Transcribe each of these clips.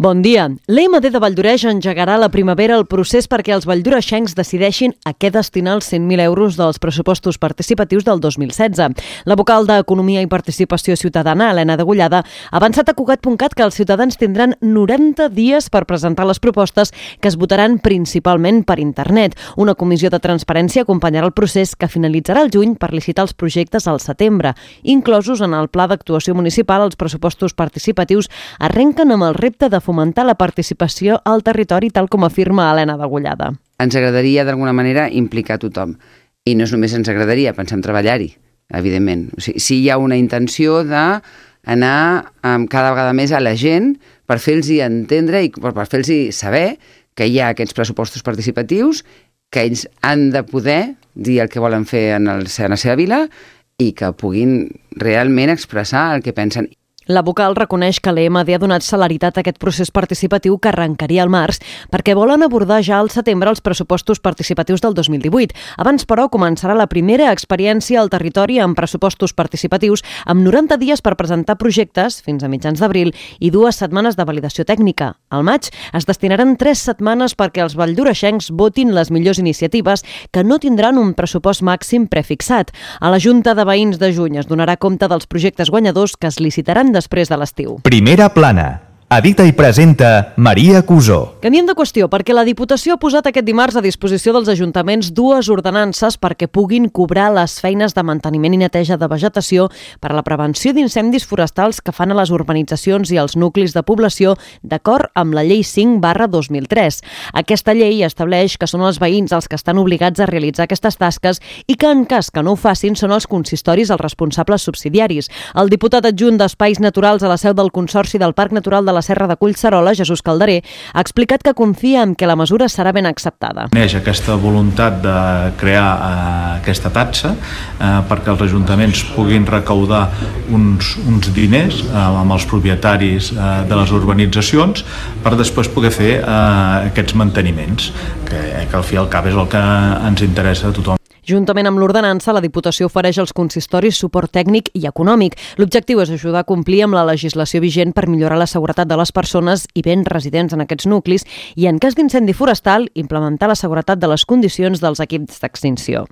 Bon dia. L'EMD de Valldoreix engegarà a la primavera el procés perquè els valldoreixencs decideixin a què destinar els 100.000 euros dels pressupostos participatius del 2016. La vocal d'Economia i Participació Ciutadana, Elena Degollada, ha avançat a Cugat.cat que els ciutadans tindran 90 dies per presentar les propostes que es votaran principalment per internet. Una comissió de transparència acompanyarà el procés que finalitzarà el juny per licitar els projectes al setembre. Inclosos en el Pla d'Actuació Municipal, els pressupostos participatius arrenquen amb el repte de fomentar la participació al territori, tal com afirma Elena Degollada. Ens agradaria, d'alguna manera, implicar tothom. I no és només ens agradaria, pensem treballar-hi, evidentment. O sigui, sí hi ha una intenció d'anar cada vegada més a la gent per fer-los entendre i per fer-los saber que hi ha aquests pressupostos participatius, que ells han de poder dir el que volen fer en la seva vila i que puguin realment expressar el que pensen. La vocal reconeix que l'EMD ha donat celeritat a aquest procés participatiu que arrencaria al març perquè volen abordar ja al setembre els pressupostos participatius del 2018. Abans, però, començarà la primera experiència al territori amb pressupostos participatius amb 90 dies per presentar projectes fins a mitjans d'abril i 2 setmanes de validació tècnica. Al maig es destinaran 3 setmanes perquè els valldoreixencs votin les millors iniciatives que no tindran un pressupost màxim prefixat. A la Junta de Veïns de juny es donarà compte dels projectes guanyadors que es licitaran després de l'estiu. Primera plana. Edita i presenta Maria Cusó. Canviem de qüestió perquè la Diputació ha posat aquest dimarts a disposició dels ajuntaments 2 ordenances perquè puguin cobrar les feines de manteniment i neteja de vegetació per a la prevenció d'incendis forestals que fan a les urbanitzacions i als nuclis de població d'acord amb la Llei 5/2003. Aquesta llei estableix que són els veïns els que estan obligats a realitzar aquestes tasques i que en cas que no ho facin són els consistoris els responsables subsidiaris. El diputat adjunt d'Espais Naturals a la seu del Consorci del Parc Natural de la Serra de Collserola, Jesús Calderer, ha explicat que confia en que la mesura serà ben acceptada. Neix aquesta voluntat de crear aquesta taxa perquè els ajuntaments puguin recaudar uns diners amb els propietaris de les urbanitzacions per després poder fer aquests manteniments, que al fi i al cap és el que ens interessa a tothom. Juntament amb l'ordenança, la Diputació ofereix als consistoris suport tècnic i econòmic. L'objectiu és ajudar a complir amb la legislació vigent per millorar la seguretat de les persones i béns residents en aquests nuclis i, en cas d'incendi forestal, implementar la seguretat de les condicions dels equips d'extinció.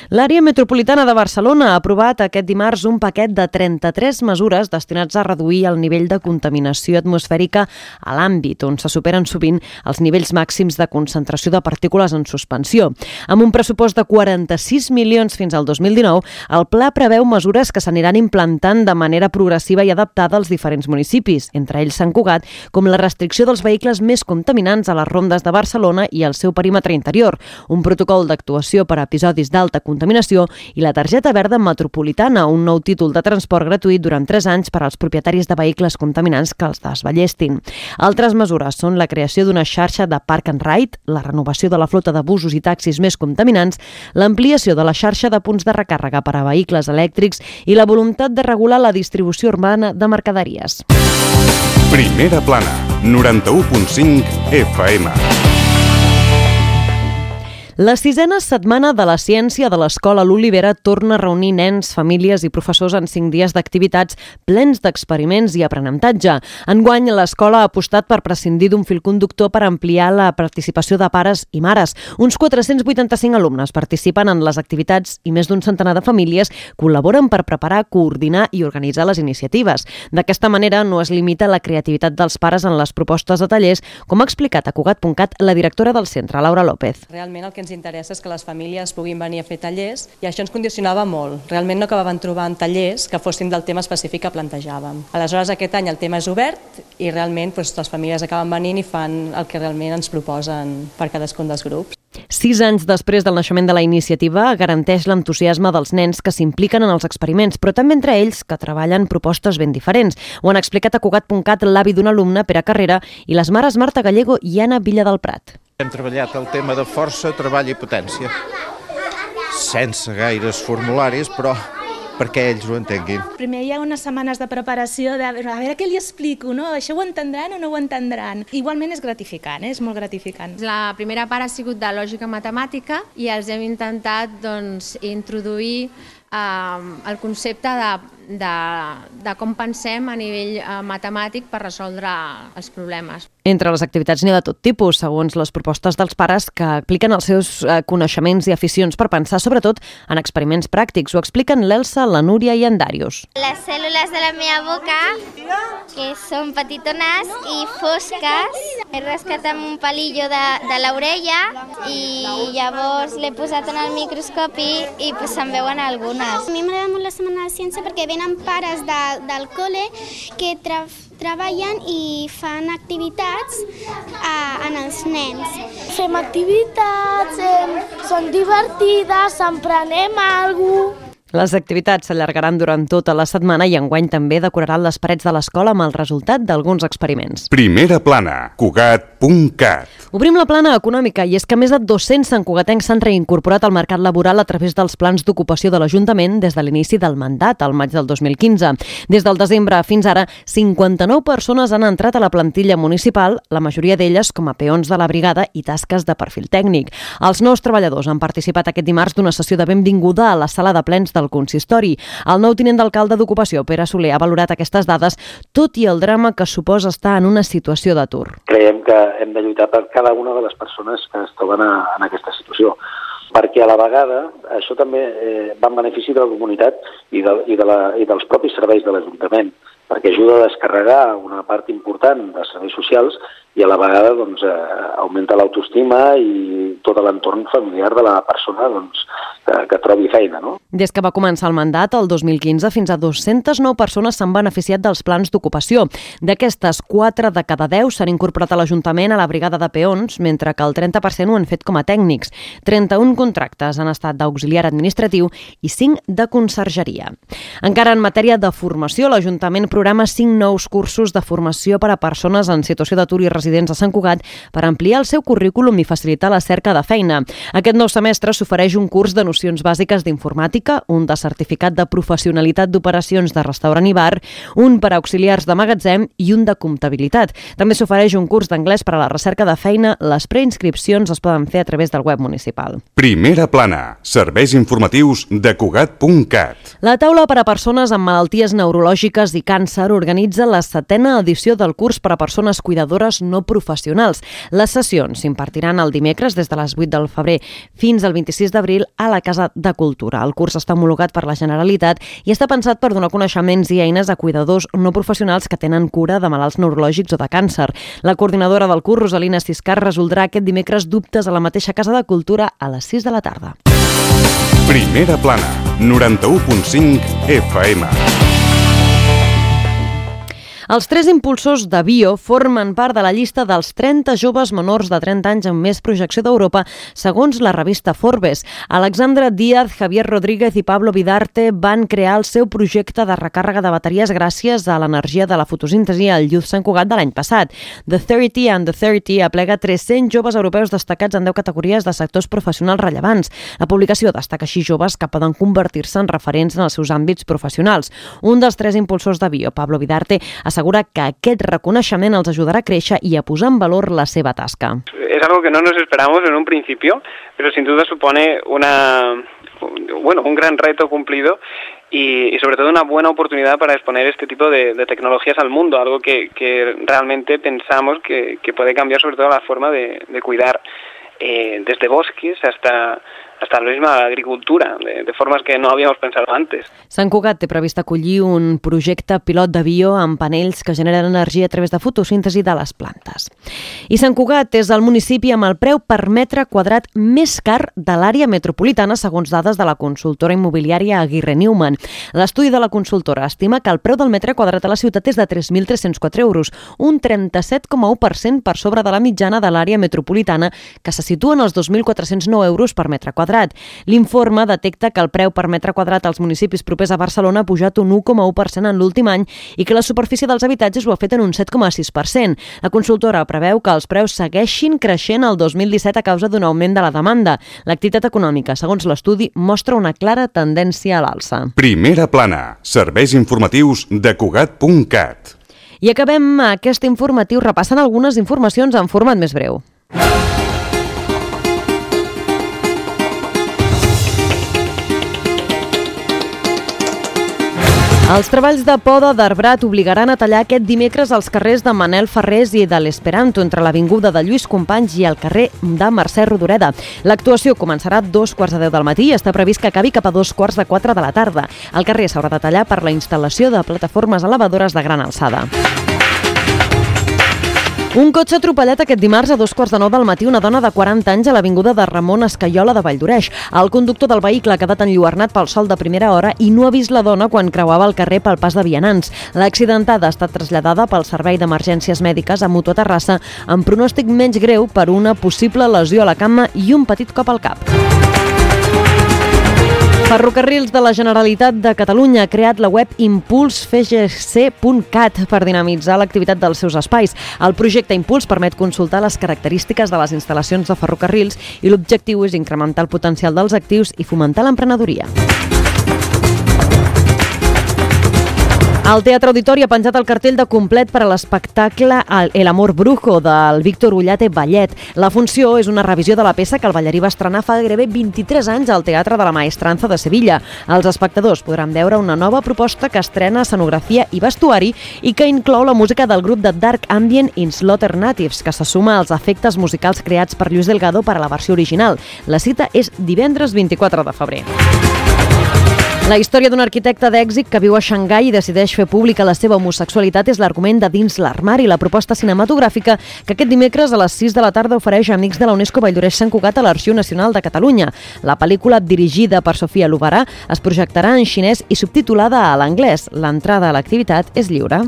L'àrea metropolitana de Barcelona ha aprovat aquest dimarts un paquet de 33 mesures destinats a reduir el nivell de contaminació atmosfèrica a l'àmbit on se superen sovint els nivells màxims de concentració de partícules en suspensió. Amb un pressupost de 46 milions fins al 2019, el pla preveu mesures que s'aniran implantant de manera progressiva i adaptada als diferents municipis, entre ells Sant Cugat, com la restricció dels vehicles més contaminants a les rondes de Barcelona i al seu perímetre interior, un protocol d'actuació per a episodis d'alta contaminació i la targeta verda metropolitana, un nou títol de transport gratuït durant 3 anys per als propietaris de vehicles contaminants que els desballestin. Altres mesures són la creació d'una xarxa de Park and Ride, la renovació de la flota de busos i taxis més contaminants, l'ampliació de la xarxa de punts de recàrrega per a vehicles elèctrics i la voluntat de regular la distribució urbana de mercaderies. Primera plana, 91.5 FM. La 6ª setmana de la ciència de l'Escola L'Olivera torna a reunir nens, famílies i professors en 5 dies d'activitats plens d'experiments i aprenentatge. Enguany, l'escola ha apostat per prescindir d'un fil conductor per ampliar la participació de pares i mares. Uns 485 alumnes participen en les activitats i més d'un centenar de famílies col·laboren per preparar, coordinar i organitzar les iniciatives. D'aquesta manera, no es limita la creativitat dels pares en les propostes de tallers, com ha explicat a Cugat.cat la directora del centre, Laura López. Realment el que ens interessa és que les famílies puguin venir a fer tallers i això ens condicionava molt. Realment no acabaven trobant tallers que fossin del tema específic que plantejàvem. Aleshores, aquest any el tema és obert i realment les famílies acaben venint i fan el que realment ens proposen per cadascun dels grups. 6 anys després del naixement de la iniciativa, garanteix l'entusiasme dels nens que s'impliquen en els experiments, però també entre ells que treballen propostes ben diferents. Ho han explicat a Cugat.cat l'avi d'un alumne, Pere Carrera, i les mares Marta Gallego i Anna Villa del Prat. Hem treballat el tema de força, treball i potència, sense gaires formularis, però perquè ells ho entenguin. Primer hi ha unes setmanes de preparació de a veure què li explico, no? Això ho entendran o no ho entendran? Igualment és gratificant, és molt gratificant. La primera part ha sigut de lògica matemàtica i els hem intentat introduir el concepte de com pensem a nivell matemàtic per resoldre els problemes. Entre les activitats n'hi ha de tot tipus, segons les propostes dels pares que apliquen els seus coneixements i aficions per pensar sobretot en experiments pràctics. Ho expliquen l'Elsa, la Núria i en Darius. Les cèl·lules de la meva boca, que són petitones i fosques, he rascat amb un palillo de l'orella i llavors l'he posat en el microscopi i se'n veuen algunes. A mi m'agrada molt la Setmana de Ciència perquè venen pares del col·le que treballen i fan activitats en els nens. Fem activitats, són divertides, emprenem alguna cosa. Les activitats s'allargaran durant tota la setmana i enguany també decoraran les parets de l'escola amb el resultat d'alguns experiments. Primera plana, Cugat.cat. Obrim la plana econòmica i és que més de 200 santcugatencs s'han reincorporat al mercat laboral a través dels plans d'ocupació de l'Ajuntament des de l'inici del mandat, al maig del 2015. Des del desembre fins ara, 59 persones han entrat a la plantilla municipal, la majoria d'elles com a peons de la brigada i tasques de perfil tècnic. Els nous treballadors han participat aquest dimarts d'una sessió de benvinguda a la sala de plens del consistori. El nou tinent d'alcalde d'Ocupació, Pere Soler, ha valorat aquestes dades, tot i el drama que suposa estar en una situació d'atur. Creiem que hem de lluitar per cada una de les persones que es troben en aquesta situació, perquè a la vegada això també va en benefici de la comunitat i dels propis serveis de l'Ajuntament, perquè ajuda a descarregar una part important de serveis socials i a la vegada augmenta l'autoestima i tot l'entorn familiar de la persona que trobi feina. No? Des que va començar el mandat, el 2015, fins a 209 persones s'han beneficiat dels plans d'ocupació. D'aquestes, 4 de cada 10 s'han incorporat a l'Ajuntament a la brigada de peons, mentre que el 30% ho han fet com a tècnics. 31 contractes han estat d'auxiliar administratiu i 5 de consergeria. Encara en matèria de formació, l'Ajuntament programa 5 nous cursos de formació per a persones en situació d'atur i residents a Sant Cugat per ampliar el seu currículum i facilitar la cerca de feina. Aquest nou semestre s'ofereix un curs de nocions bàsiques d'informàtica, un de certificat de professionalitat d'operacions de restaurant i bar, un per a auxiliars de magatzem i un de comptabilitat. També s'ofereix un curs d'anglès per a la recerca de feina. Les preinscripcions es poden fer a través del web municipal. Primera plana, serveis informatius de Cugat.cat. La taula per a persones amb malalties neurològiques i càncer organitza la 7a edició del curs per a persones cuidadores no professionals. Les sessions s'impartiran el dimecres des de les 8 del febrer fins al 26 d'abril a la Casa de Cultura. El curs està homologat per la Generalitat i està pensat per donar coneixements i eines a cuidadors no professionals que tenen cura de malalts neurològics o de càncer. La coordinadora del curs, Rosalina Ciscar, resoldrà aquest dimecres dubtes a la mateixa Casa de Cultura a les 6 de la tarda. Primera plana, 91.5 FM. Els 3 impulsors de Bio formen part de la llista dels 30 joves menors de 30 anys amb més projecció d'Europa, segons la revista Forbes. Alexandra Díaz, Javier Rodríguez i Pablo Vidarte van crear el seu projecte de recàrrega de bateries gràcies a l'energia de la fotosíntesi al Youth Sant Cugat de l'any passat. The 30 and the 30 aplega 300 joves europeus destacats en 10 categories de sectors professionals rellevants. La publicació destaca així joves que poden convertir-se en referents en els seus àmbits professionals. Un dels 3 impulsors de Bio, Pablo Vidarte, assegura que aquest reconeixement els ajudarà a créixer i a posar en valor la seva tasca. Es algo que no nos esperamos en un principio, pero sin duda supone un gran reto cumplido y sobre todo una buena oportunidad para exponer este tipo de tecnologías al mundo, algo que realmente pensamos que puede cambiar sobre todo la forma de cuidar desde bosques hasta la misma agricultura, de formas que no habíamos pensado antes. Sant Cugat té previst acollir un projecte pilot de bio amb panells que generen energia a través de fotosíntesi de les plantes. I Sant Cugat és el municipi amb el preu per metre quadrat més car de l'àrea metropolitana, segons dades de la consultora immobiliària Aguirre Newman. L'estudi de la consultora estima que el preu del metre quadrat a la ciutat és de 3.304 euros, un 37,1% per sobre de la mitjana de l'àrea metropolitana, que se situa en els 2.409 euros per metre quadrat. L'informe detecta que el preu per metre quadrat als municipis propers a Barcelona ha pujat un 1,1% en l'últim any i que la superfície dels habitatges ho ha fet en un 7,6%. La consultora preveu que els preus segueixin creixent el 2017 a causa d'un augment de la demanda. L'activitat econòmica, segons l'estudi, mostra una clara tendència a l'alça. Primera plana, serveis informatius de Cugat.cat. I acabem aquest informatiu repassant algunes informacions en format més breu. Els treballs de poda d'arbrat obligaran a tallar aquest dimecres als carrers de Manel Ferrés i de l'Esperanto, entre l'avinguda de Lluís Companys i el carrer de Mercè Rodoreda. L'actuació començarà a 2:15 del matí i està previst que acabi cap a 3:45 de la tarda. El carrer s'haurà de tallar per la instal·lació de plataformes elevadores de gran alçada. Un cotxe atropellat aquest dimarts a 2:15 del matí una dona de 40 anys a l'avinguda de Ramon Escaiola de Valldoreix. El conductor del vehicle ha quedat enlluernat pel sol de primera hora i no ha vist la dona quan creuava el carrer pel pas de vianants. L'accidentada ha estat traslladada pel Servei d'Emergències Mèdiques a Mutua Terrassa amb pronòstic menys greu per una possible lesió a la cama i un petit cop al cap. Ferrocarrils de la Generalitat de Catalunya ha creat la web impulsfgc.cat per dinamitzar l'activitat dels seus espais. El projecte Impuls permet consultar les característiques de les instal·lacions de ferrocarrils i l'objectiu és incrementar el potencial dels actius i fomentar l'emprenedoria. El Teatre Auditori ha penjat el cartell de complet per a l'espectacle El amor brujo del Víctor Ullate Ballet. La funció és una revisió de la peça que el ballarí va estrenar fa gairebé 23 anys al Teatre de la Maestranza de Sevilla. Els espectadors podran veure una nova proposta que estrena escenografia i vestuari i que inclou la música del grup de Dark Ambient in Slaughter Natives, que se suma als efectes musicals creats per Lluís Delgado per a la versió original. La cita és divendres 24 de febrer. La història d'un arquitecte d'èxit que viu a Xangai i decideix fer pública la seva homosexualitat és l'argument de Dins l'armari, la proposta cinematogràfica que aquest dimecres a les 6 de la tarda ofereix a Amics de la UNESCO Valldoreix Sant Cugat a l'Arxiu Nacional de Catalunya. La pel·lícula, dirigida per Sofia Lobarà, es projectarà en xinès i subtitulada a l'anglès. L'entrada a l'activitat és lliure.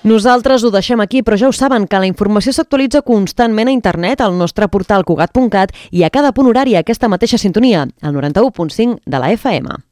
Nosaltres ho deixem aquí, però ja ho saben que la informació s'actualitza constantment a internet al nostre portal cugat.cat i a cada punt horari a aquesta mateixa sintonia, al 91.5 de la FM.